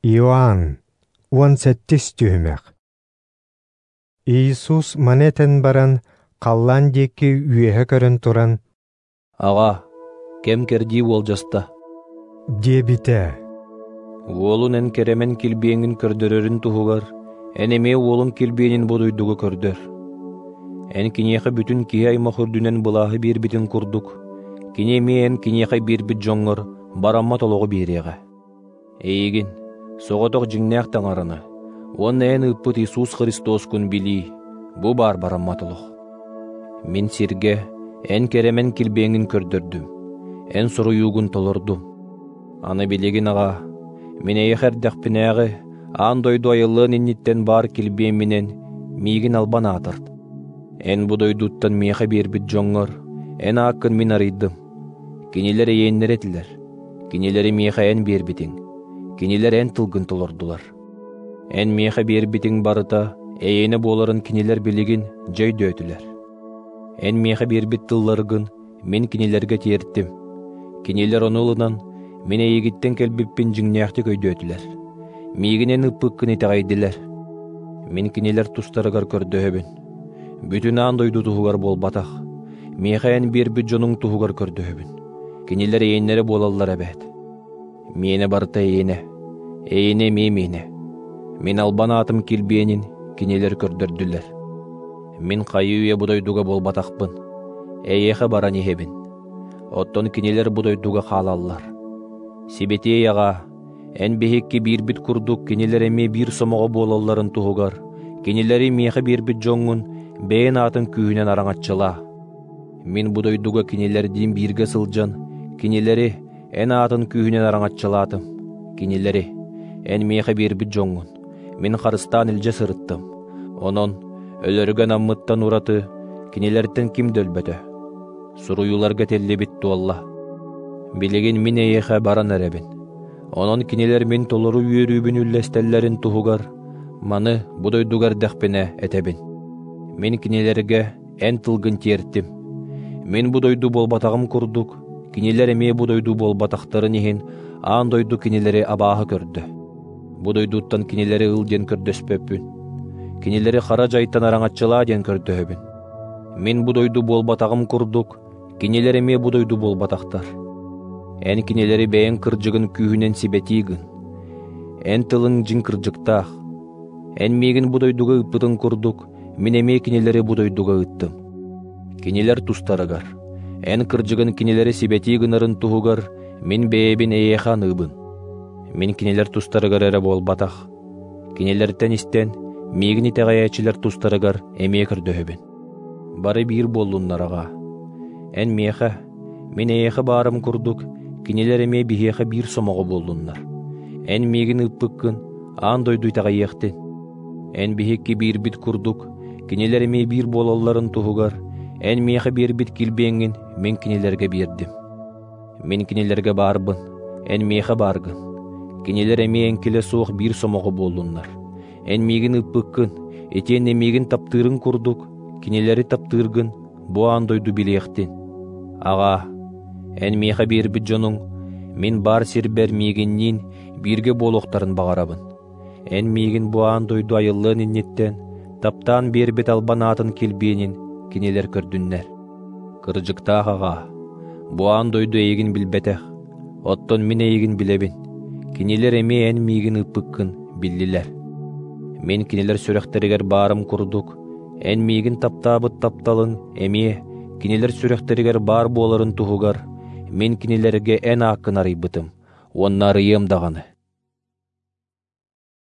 Иоанн, 17-ис түһүмэх. Иисус маны этэн баран, халлаан диэки үөһэ көрөн туран, «Аҕа, кэм-кэрдии уолдьаста» диэбитэ. «Уолун эн кэрэмэн килбиэҥҥин көрдөрөрүн туһугар, эн эмиэ уолун килбиэнин бу дойдуга көрдөр. Эн киниэхэ бүтүн киһи аймах үрдүнэн былааһы биэрбитин курдук, кини эмиэ эн киниэхэ биэрбит дьоҥҥор бараммат олоҕу биэриэҕэ. Эйигин, соҕотох дьиҥнээх Таҥараны, уонна эн ыыппыт Иисус Христоскун билии, бу баар бараммат олох. Мин сиргэ эн кэрэмэн килбиэҥҥин көрдөрдүм, эн суруйуугун толордум. Аны билигин аҕа, мин эйиэхэ эрдэхпинээҕи аан дойду айыллыан инниттэн баар килбиэмминэн миигин албан аатырт. Эн бу дойдуттан миэхэ биэрбит дьоҥҥор эн ааккын мин арыйдым. Кинилэр эйиэннэрэ этилэр, кинилэри миэхэ эн биэрбитиҥ, кинилэр эн тылгын толордулар. Эн миэхэ биэрбитиҥ барыта эйиэнэ буоларын кинилэр билигин дьэ өйдөөтүлэр. Эн миэхэ биэрбит тылларгын мин кинилэргэ тиэртим. Кинилэр ону ылынан, мин эйигиттэн кэлбиппин дьиҥнээхтик өйдөөтүлэр. Миигин эн ыппыккын итэҕэйдилэр. Мин кинилэр тустарыгар көрдөһөбүн. Бүтүн аан дойду туһугар буолбатах. Миэхэ эн биэрбит дьонуҥ туһугар көрдөһөбүн. Кинилэр эйиэннэрэ буолаллар эбээт. Миэнэ барыта эйиэнэ, эйиэнэ эмиэ миэнэ. Мин албан аатым килбиэнин кинилэр көрдөрдүлэр. Мин хайыы-үйэ бу дойдуга буолбатахпын, эйиэхэ баран иһэбин. Оттон кинилэр бу дойдуга хаалаллар. Сибэтиэй Аҕа, эн биһикки биирбит курдук кинилэр эмиэ биир сомоҕо буолалларын туһугар, кинилэри миэхэ биэрбит дьоҥҥун бэйэн аатын күүһүнэн араҥаччылаа. Мин бу дойдуга кинилэрдиин бииргэ сылдьан, кинилэри эн аатын күүһүнэн араҥаччылаатым. Кинилэри, эн миэхэ биэрбит дьоҥҥун, мин харыстаан илдьэ сырыттым. Онон өлөргө анаммыттан ураты кинилэртэн ким да өлбөтө. Суруйууларга этиллибит туолла. Билигин мин эйиэхэ баран эрэбин. Онон кинилэр мин толору үөрүүбүн үллэстэллэрин туһугар маны бу дойдуга эрдэхпинэ этэбин. Мин кинилэргэ эн тылгын тиэртим. Мин бу дойду буолбатаҕым курдук, кинилэр эмиэ бу дойду буолбатахтарын иһин аан дойду кинилэри абааһы көрдө. Бу дойдуттан кинилэри ыл диэн көрдөспөппүн. Кинилэри хара дьайтан араҥаччылаа диэн көрдөһөбүн. Мин бу дойду буолбатаҕым курдук, кинилэр эмиэ бу дойду буолбатахтар. Эн кинилэри бэйэҥ кырдьыгын күүһүнэн сибэтии гын. Эн тылыҥ дьиҥ кырдьыктаах. Эн миигин бу дойдуга ыыппытыҥ курдук, мин эмиэ кинилэри бу дойдуга ыыттым. Кинилэр тустарыгар, эн кырдьыгын кинилэри сибэтии гынарын туһугар, мин бэйэбин эйиэхэ аныыбын. Мин кинилэр тустарыгар эрэ буолбатах. Кинилэртэн истэн, миигин итэҕэйээччилэр тустарыгар эмиэ көрдөһөбүн. Бары биир буоллуннар аҕаа. Эн миэхэ, мин эйиэхэ баарым курдук, кинилэр эмиэ биһиэхэ биир сомоҕо буоллуннар. Эн миигин ыыппыккын аан дойду итэҕэйиэхтин. Эн биһикки биирбит курдук, кинилэр эмиэ биир буолалларын туһугар, эн миэхэ биэрбит килбиэҥҥин мин кинилэргэ биэрдим. Мин кинилэргэ баарбын, эн миэхэ бааргын. Кинилэр эмиэ эҥкилэ суох биир сомоҕо буоллуннар. Эн миигин ыыппыккын, итиэннэ миигин таптыырыҥ курдук, кинилэри таптыыргын бу аан дойду билиэхтин. Аҕаа, эн миэхэ биэрбит дьонуҥ мин баар сирбэр миигинниин бииргэ буолуохтарын баҕарабын. Эн миигин бу аан дойду айыллыан инниттэн таптаан биэрбит албан аатын килбиэнин кинилэр көрдүннэр. Кырдьыктаах аҕаа, бу аан дойду эйигин билбэтэх, оттон мин эйигин билэбин. Кинилэр эмиэ эн миигин ыыппыккын биллилэр. Мин кинилэр сүрэхтэригэр баарым курдук, эн миигин таптаабыт тапталыҥ эмиэ кинилэр сүрэхтэригэр баар буоларын туһугар мин кинилэргэ эн ааккын арыйбытым уонна арыйыам даҕаны.